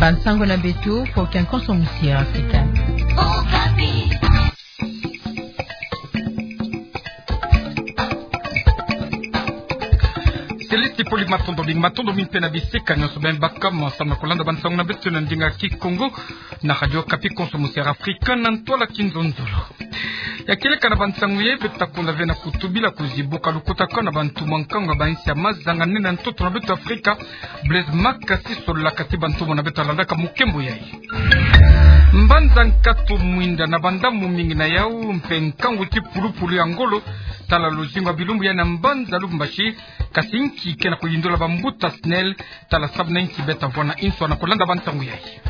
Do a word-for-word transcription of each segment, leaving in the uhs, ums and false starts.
Bansango na beto, pour qu'un consommusier africain. Céleste Poli, matondo mingi, matondo mingi mpe na bisika nyonso beno baka mo samu na kolanda bansango na beto na ndinga Kikongo na Radio Okapi, consommusier africain na ntwala kinzonzolo. Ya kieleka na bansango yai, beto ta konda ve na kutubila kuzibuka lukutakanu na bantu mwa nkangu ya bainsi ya mazanga nene ya ntoto na beto Afrika. Blaise Makasi sololaka ti bantu mona beto landaka mukembo yai. Mbanza nkatu mwinda na bandambu mingi na yau mpe nkangu ti pulupulu ya ngolo tala luzingu ya bilumbu yai na mbanza Lubumbashi, kasi nki ke na kuyindula bambuta SNEL, tala samu na nki beto ta vwanda inso na kolanda bansango yai.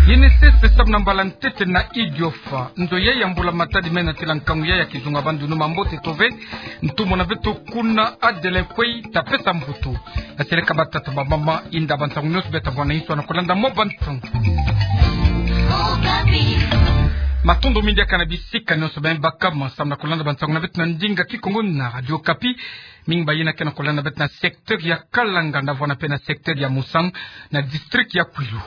Initiative samu na mbala ntete na Idiofa. Nzo yai ya mbula matadi mena tila nkangu yai ya kizunga bandu numa mbote tove. Ntu mona beto kuna Adelin Kwei ta pesa mvutu. Aseleka batata bamama, inda bansango nyonso beto ta vwanda inso na kolanda mwa bansango. Matondo mingi diaka na bisika nyonso beno baka mo samu na kolanda bansango na beto na ndinga Kikongo na Radio Okapi. Mingi bayina ke na kolanda beto na secteur ya Kalanga, na vwanda mpe na secteur ya Musang, na district ya Kwilu.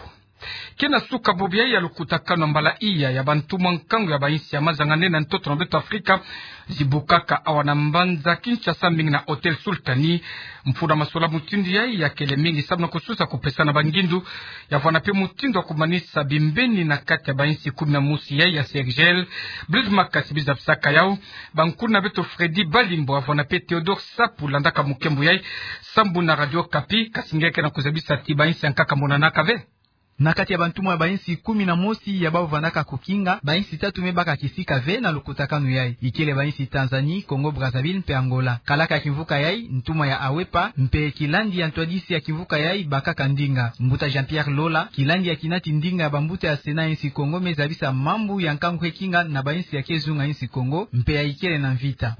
Ke na suka bobo yai ya lukutakanu na mbala iya ya bantu mwa nkangu ya bainsi ya mazanga nene ya ntoto na beto Afrika, zibukaka awa na mbanza Kinshasa, mingi na Hôtel Sultani. Mfunu masolama mutindu yai ya kele mingi samu na kususa kupesana bangindu, ya vwanda mpe mutindu ya kumanisa bimbeni na kati ya bainsi kumi na mosi yai ya CERGL. Blaise Makasi, biza bisaka yau. Bankulu na beto Freddy Balimbo, a vwanda mpe Théodore Sapu landaka mukembo yai sambu na Radio Okapi, kasi nge ke na kuzabisa ti bainsi ya nkaka monanaka ve. Na kati ya bantumwa ya bainsi kumi na mosi ya bau vandaka kukinga, bainsi tatu me baka kisika ve na lukutakanu yai. Ikele bainsi Tanzanie, Congo Brazzaville mpe Angola. Kalaka ya kimvuka yai, ntumwa ya AWEPA, mpe kilandi ya ntwadisi ya kimvuka yai bakaka ndinga. Mbuta Jean-Pierre Lola, kilandi ya kinati ndinga ya bambuta ya Sénat ya insi Kongo, me zabisa mambu ya nkangu ke kinga na bainsi ya ke zunga insi Kongo, mpe ya ikele na mvita.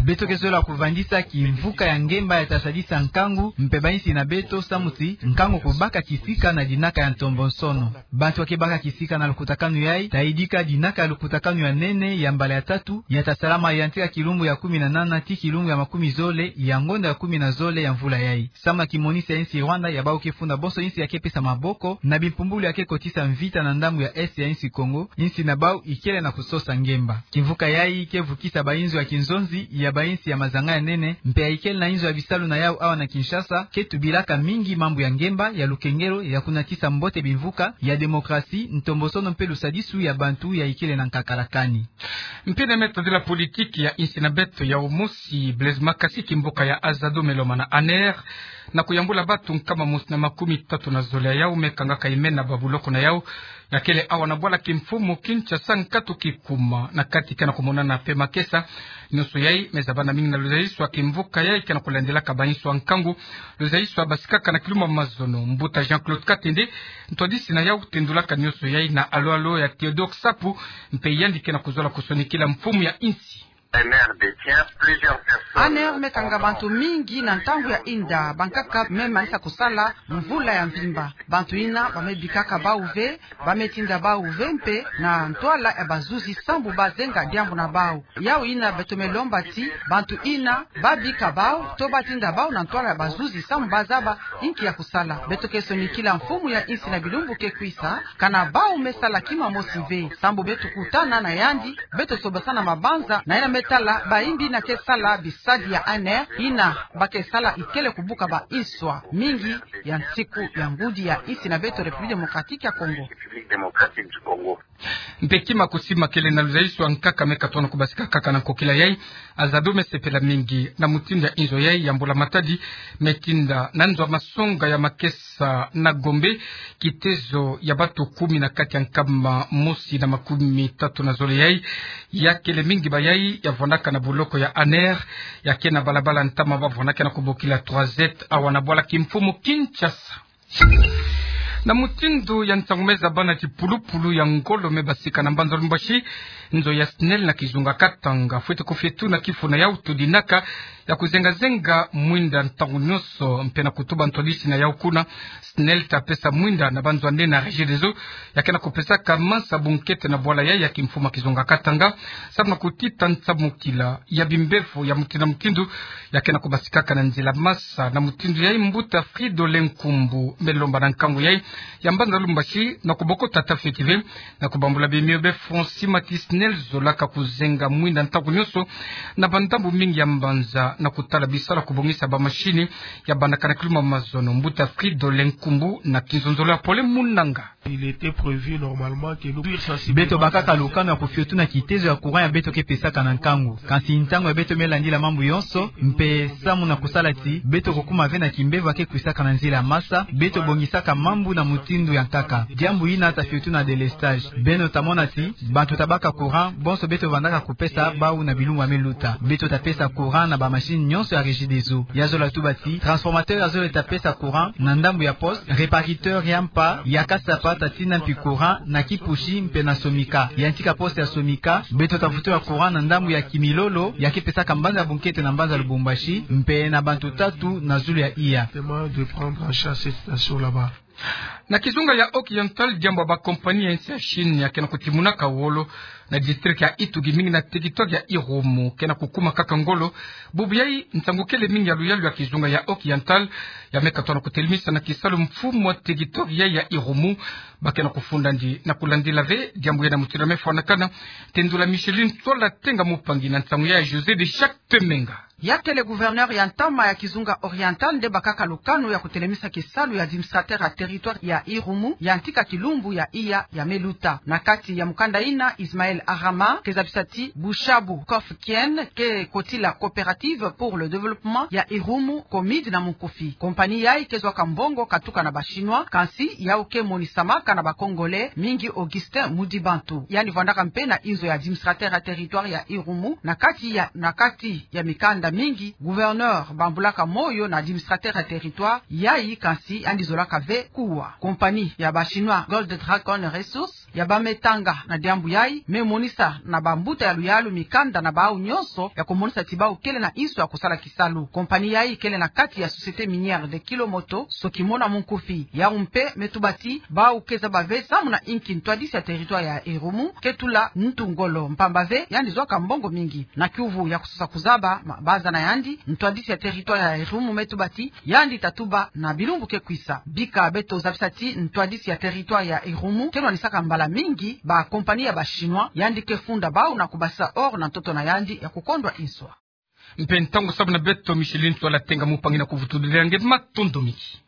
Beto ke zola kuvandisa kimvuka ya ngemba ya ta sadisa nkangu, mpe bainsi na beto samu ti nkangu kubaka kisika na dinaka ya ntombonsono. Bantu ya ke baka kisika na lukutakanu yai, ta yidika dinaka ya lukutakanu ya nene ya mbala ya tatu, ya ta salama yantika kilumbu ya kumi na nana ti kilumbu ya makumi zole ya ngonda ya kumi na zole ya mvula yai. Samu na kimonisi ya insi Rwanda, ya bau ke funda bonso insi ya ke pesa maboko na bimpumbulu ya ke kotisa mvita na ndambu ya Est ya insi Kongo, insi na bau ikele na kusosa ngemba. Kimvuka yai ke vukisa bainzo ya kinzonzi ya bainsi ya mazanga ya nene, mpe ya ikele na inzo ya bisalu na yau awa na Kinshasa, ke tubilaka mingi mambu ya ngemba, ya lukengelo, ya kunatisa mbote bimvuka, ya démocratie, ntombonsono mpe lusadisu ya bantu ya ikele na nkakala kani. Mpe na meta de la politique ya insi na beto ya umosi, Blaise Makasi, kimvuka ya Azado me lomana ANR, na kuyambula bantu nkama mosi na makumi tatu na zole ya yau me kangaka imena ba buloko na yau, ya kele awa na bwala kimfumu Kinshasa nkatu kikuma, na kati ke na kumonana mpe makesa. Nyonso yai me zabana mingi na luzayiswa kimvuka yai ke na kulandelaka bainzo ya nkangu, luzayiswa basikaka na kilumbu ya mazono. Mbuta Jean-Claude Katende, ntwadisi na yau, tendulaka nyonso yai na alo-alo ya Théodore Sapu, mpe yandi ke na kuzola kusonikila mfumu ya insi. ANR me kanga bantu mingi na ntangu ya inda, bankaka me manisa kusala mvula ya mvimba. Bantu ina ba me bikaka bau ve, ba me tinda bau ve mpe na ntwala ya bazuzi sambu ba zenga diambu na bau. Yau ina beto me lomba ti bantu ina ba bika bau, to ba tinda bau na ntwala ya bazuzi sambu ba zaba inki ya kusala. Beto ke sonikila mfumu ya insi na bilumbu ke kwisa, kana bau me sala kima mosi ve. Sambu beto kutana na yandi, beto sobasana mabanza, na ina me tala baimbi na ke sala bisadi ya ANR, ina ba ke sala ikele kubuka bainzo ya mingi ya nsiku ya ngudi ya insi na beto République Démocratique ya Congo. Mpe kima kusimakele na luzayiswa nkaka me katono kubasika kaka na nkokila yai, Azado me sepela mingi na mutindu ya inzo yai ya mbula matadi me tinda na nzo ya masonga ya makesa na Gombe, kitezo ya bantu kumi na kati ya nkama mosi na makumi tatu na zole yai, ya kele mingi ba yai ya vandaka na buloko ya ANR, ya ke na balabala ntama ba vandaka na kubokila trois Z awa na bwala kimfumu Kinshasa. Na mutindu ya ntangu me zabana, kipulupulu ya ngolo me basika na mbanza Lubumbashi, Nzo ya SNEL na kizunga Katanga fwete kofie tuna kifuna yau tudinaka ya kuzenga-zenga mwinda ntangu nyonso, mpe na kutuba ntwadisi na yau kuna, SNEL ta pesa mwinda na banzwande na Regideso, ya ke na kupesaka mansa bunkete na bwala yai ya kimfumu ya kizunga Katanga, samu na kutita nsambukila ya bimbevo ya mutindu na mutindu, ya ke na kubasikaka na nzila masa. Na mutindu yai, mbuta Fridolin Nkumbu me lomba na nkangu yai ya mbanza Lubumbashi na kubokota tata fweti ve na kubambula bimio be Francis Mati, SNEL zolaka kuzenga mwinda ntangu nyonso na bandambu mingi ya mbanza na kutala bisalu ya kubongisa bamashini ya bandakana kiluma mazono. Mbuta Fridolin Nkumbu na kinzonzolo ya Pole Munanga. Il était prévu normalement que nous puissions sensibiliser. Beto bakaka lukanu ya kofio tuna kitezo ya courant ya beto ke pesaka na nkangu. Kansi ntangu ya beto me landila mambu yonso, mpe samu na kusala ti beto kukuma ve na kimbevo ya ke kwisaka na nzila masa, beto bongisaka mambu na mutindu ya nkaka. Diambu yina ta fio tuna délestage. Beno ta mona ti bantu ta baka courant, bonso beto vandaka kupesa bau na bilumbu ya me luta. Beto ta pesa courant na bamashini nyonso ya Regideso. Ya zola tuba ti transformateur ya zole ta pesa courant na ndambu ya poste, réparateur ya mpa ya Kasapa ta tina mpi courant na Kipushi mpe na Somika. Yantika poste ya Somika, beto ta vutula courant na ndambu ya Kimilolo, ya ke pesaka mbanza bunkete na mbanza Lubumbashi, mpe na bantu tatu na zulu ya iya. Justement, de prendre en charge cette station là-bas. Na kizunga ya Occidental, diambu ya bakompani ya nsi ya Chine ya ke na kutimunaka wolo na district ya Itu, mingi na territoire ya Irumu, ke na kukuma kaka ngolo. Bubu yai, nsangu kele mingi ya luyalu ya kizunga ya Occidental ya me katwa na kutelemisa na kisalu mfumu wa territoire yai ya Irumu. Ba ke na kufunda ndi na kulandila ve diambu yai na mutindu ya me fwanakana. Tendula Micheline Sola Tenga Mupangi na nsangu ya José de Chaque Temenga. Ya kele gouverneur ya ntama ya kizunga Oriental nde bakaka lukanu ya kutelemisa kisalu ya administrateur ya territoire ya Irumu, yantika kilumbu ya iya ya me luta. Na kati ya mukanda yina, Ismaël Arama ke zabisa ti Bushabu Kof Kien ke kotila Coopérative pour le Développement ya Irumu, COMID na munkufi. Kompani yai ke zwaka mbongo katuka na ba Chinois, kansi yau ke monisamaka na ba Congolais, mingi Augustin Mudibantu. Yandi vwandaka mpe na inzo ya administrateur ya territoire ya Irumu. Na kati ya, na kati ya mikanda mingi, gouverneur bambulaka moyo na administrateur ya territoire yai, kansi yandi zolaka ve kuwa. Kompani ya ba Chinois Gold Dragon Resources ya ba me tanga na diambu yai me monisa na bambuta ya luyalu mikanda na bau nyonso ya kumonisa ti bau kele na inso ya kusala kisalu. Kompani yai kele na kati ya Société Minière de Kilomoto, Sokimo na munkufi. Yau mpe me tuba ti bau ke zaba ve samu na inki ntwadisi ya territoire ya Irumu ke tula ntu ngolo, mpamba ve yandi zwaka mbongo mingi. Na kiuvu ya kusosa kuzaba mabanza na yandi, ntwadisi ya territoire ya Irumu me tuba ti yandi ta tuba na bilumbu ke kwisa. Bika beto zabisa ti ntwadisi ya territoire ya Irumu ke nwanisaka mbala mingi ba kompani ya ba Chinois, yandi ke funda bau na kubasisa or na ntoto na yandi ya kukondwa inso. Mpe ntangu samu na beto, Micheline Sola Tenga Mupangi na kuvutulila nge, matondo mingi.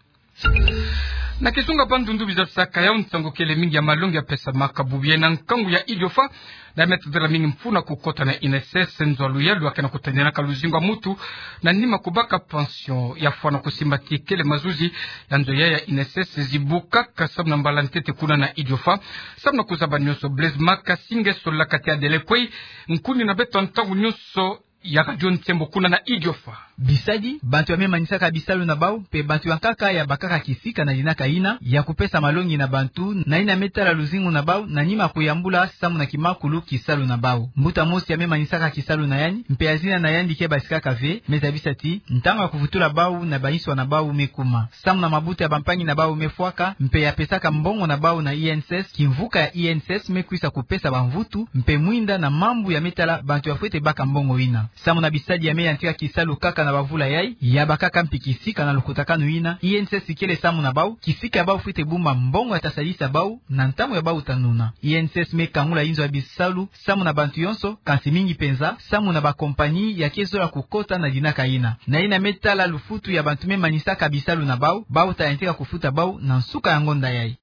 Na kizunga Bandundu, biza bisaka yau nsangu kele mingi ya malongi ya pesamaka bubu yai na nkangu ya Idiofa, na me tadila mingi mfunu ya kukota na INSS, nzo ya luyalu ya ke na kutadinaka luzingu ya mutu na nima kubaka pension. Ya fwana kusimba ti kele mazuzi ya nzo yai ya INSS zibukaka samu na mbala ntete kuna na Idiofa. Samu na kuzaba nyonso, Blaise Makasinge solaka ti adelekwe nkuni na beto ntangu nyonso ya Radio Nsembo kuna na Idiofa. Bisadi, bantu ya me manisaka bisalu na bau, mpe bantu ya nkaka ya bakaka kisika na dinaka yina ya kupesa malongi na bantu, na yina me tala luzingu na bau, na nima kuyambula samu na kimakulu kisalu na bau. Mbuta mosi ya me manisaka kisalu na yandi, mpe ya zina na yandi ke basikaka ve, me zabisa ti ntangu ya kuvutula bau na bainso na bau me kuma. Samu na mabuta ya bampangi na bau me fwaka, mpe ya pesaka mbongo na bau na INSS, kimvuka ya INSS me kwisa kupesa bamvutu, mpe mwinda na mambu ya me tala bantu ya fwete baka mbongo yina. Samu na bisadi ya me yantika kisalu kaka na bavula yai, ya bakaka mpi kisika na lukutakanu yina, INSS kele samu na bau, kisika ya bau fwete bumba mbongo ya ta sadisa bau na ntangu ya bau ta nuna. INSS me kangula inzo ya bisalu samu na bantu yonso, kansi mingi penza samu na bakompani ya ke zola kukota na dinaka yina. Na yina me tala lufutu ya bantu me manisaka bisalu na bau, bau ta yantika kufuta bau na nsuka ya ngonda yai.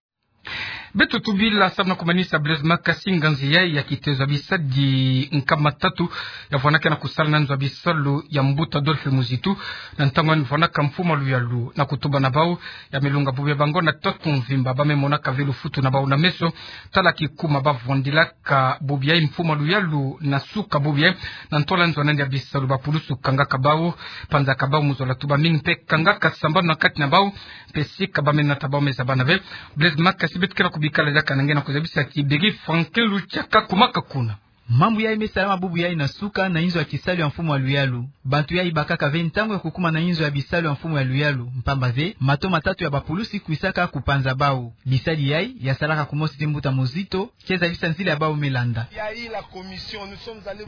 Beto tubila samu na kumanisa Blaise Makasinge nganzi yai ya kitezo ya bisadi nkama tatu ya vwanaka na kusala na nzo ya bisalu ya mbuta Adolphe Muzitu, na ntangu yandi vwanaka mfumu ya luyalu, na kutuba na bau, ya me lunga bubu ya bango na tatu mvimba, ba me monaka ve lufutu na bau na meso, tala kikuma ba vwandilaka bubu yai mfumu ya luyalu na suka bubu yai, na ntola nzo na yandi ya bisalu ba pulusu kangaka bau, panzaka bau mu zola tuba mingi mpe kangaka sambanu na kati na bau, mpe sika ba me nata bau me zabana ve. Blaise Makasinge, beto ke na kubikala diaka na nge na kuzabisa ti beri Franklin Luchaka kumaka kuna. Mambu yai me salama bubu yai na suka na inzo ya kisalu ya mfumu ya luyalu. Bantu yai bakaka ve ntangu ya kukuma na inzo ya bisalu ya mfumu ya luyalu, mpamba ve mato matatu ya bapulusi kwisaka kupanza bau. Bisadi yai ya salaka kumosi ti mbuta mozito, ke zabisa nzila ya bau me landa.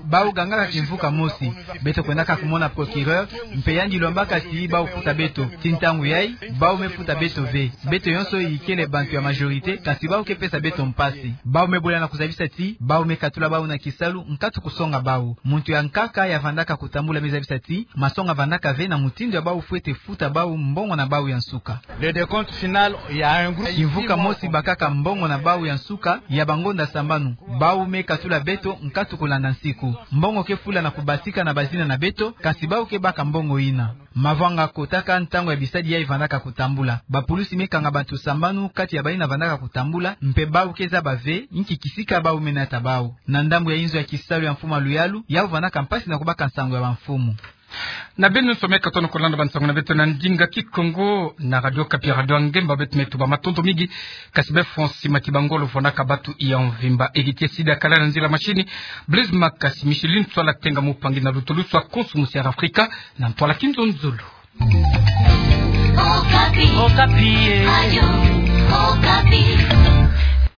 Bau gangaka kimvuka mosi: beto kwendaka kumona procureur, mpe yandi lombaka ti bau futa beto. Ti ntangu yai, bau me futa beto ve. Beto yonso ikele bantu ya majorité, kasi bau ke pesa beto mpasi. Bau me bola na kuzabisa ti bau me katula bau na kisalu nkatu kusonga bau. Muntu ya nkaka ya vandaka kutambula me zabisa ti masonga vandaka ve na mutindu ya bau fwete futa bau mbongo na bau ya nsuka. Le décompte final, il y a un groupe. Kimvuka mosi bakaka mbongo na bau ya nsuka ya bangonda sambanu. Bau me katula beto nkatu kulanda nsiku. Mbongo ke fula na kubatika na bazina na beto, kasi bau ke baka mbongo ina. Mavwanga kotaka ntangu ya bisadi yai vandaka kutambula. Bapulusi me kanga bantu sambanu kati ya bayina vandaka kutambula, mpe bau ke zaba ve inki kisika bau me nata bau. Na ndambu ya inzo ya kisalu ya mfumu ya luyalu, yau vandaka mpasi na kubaka nsangu ya bamfumu. Na beno yonso me katono kulanda bansangu na beto na ndinga Kikongo na Radio Okapi, Radio ya Ngemba, beto me tuba matondo mingi. Kasi be Francis Makibangolo fondaka batu ya mvimba, Heritier Sida kala na nzila mashini, Blaise Makasi, Micheline Tswala Tenga, mopangi na lutulusu ya konso musi ya Afrika, na ntwala Kinzonzolo. Okapi. Okapi, eh. Radio Okapi.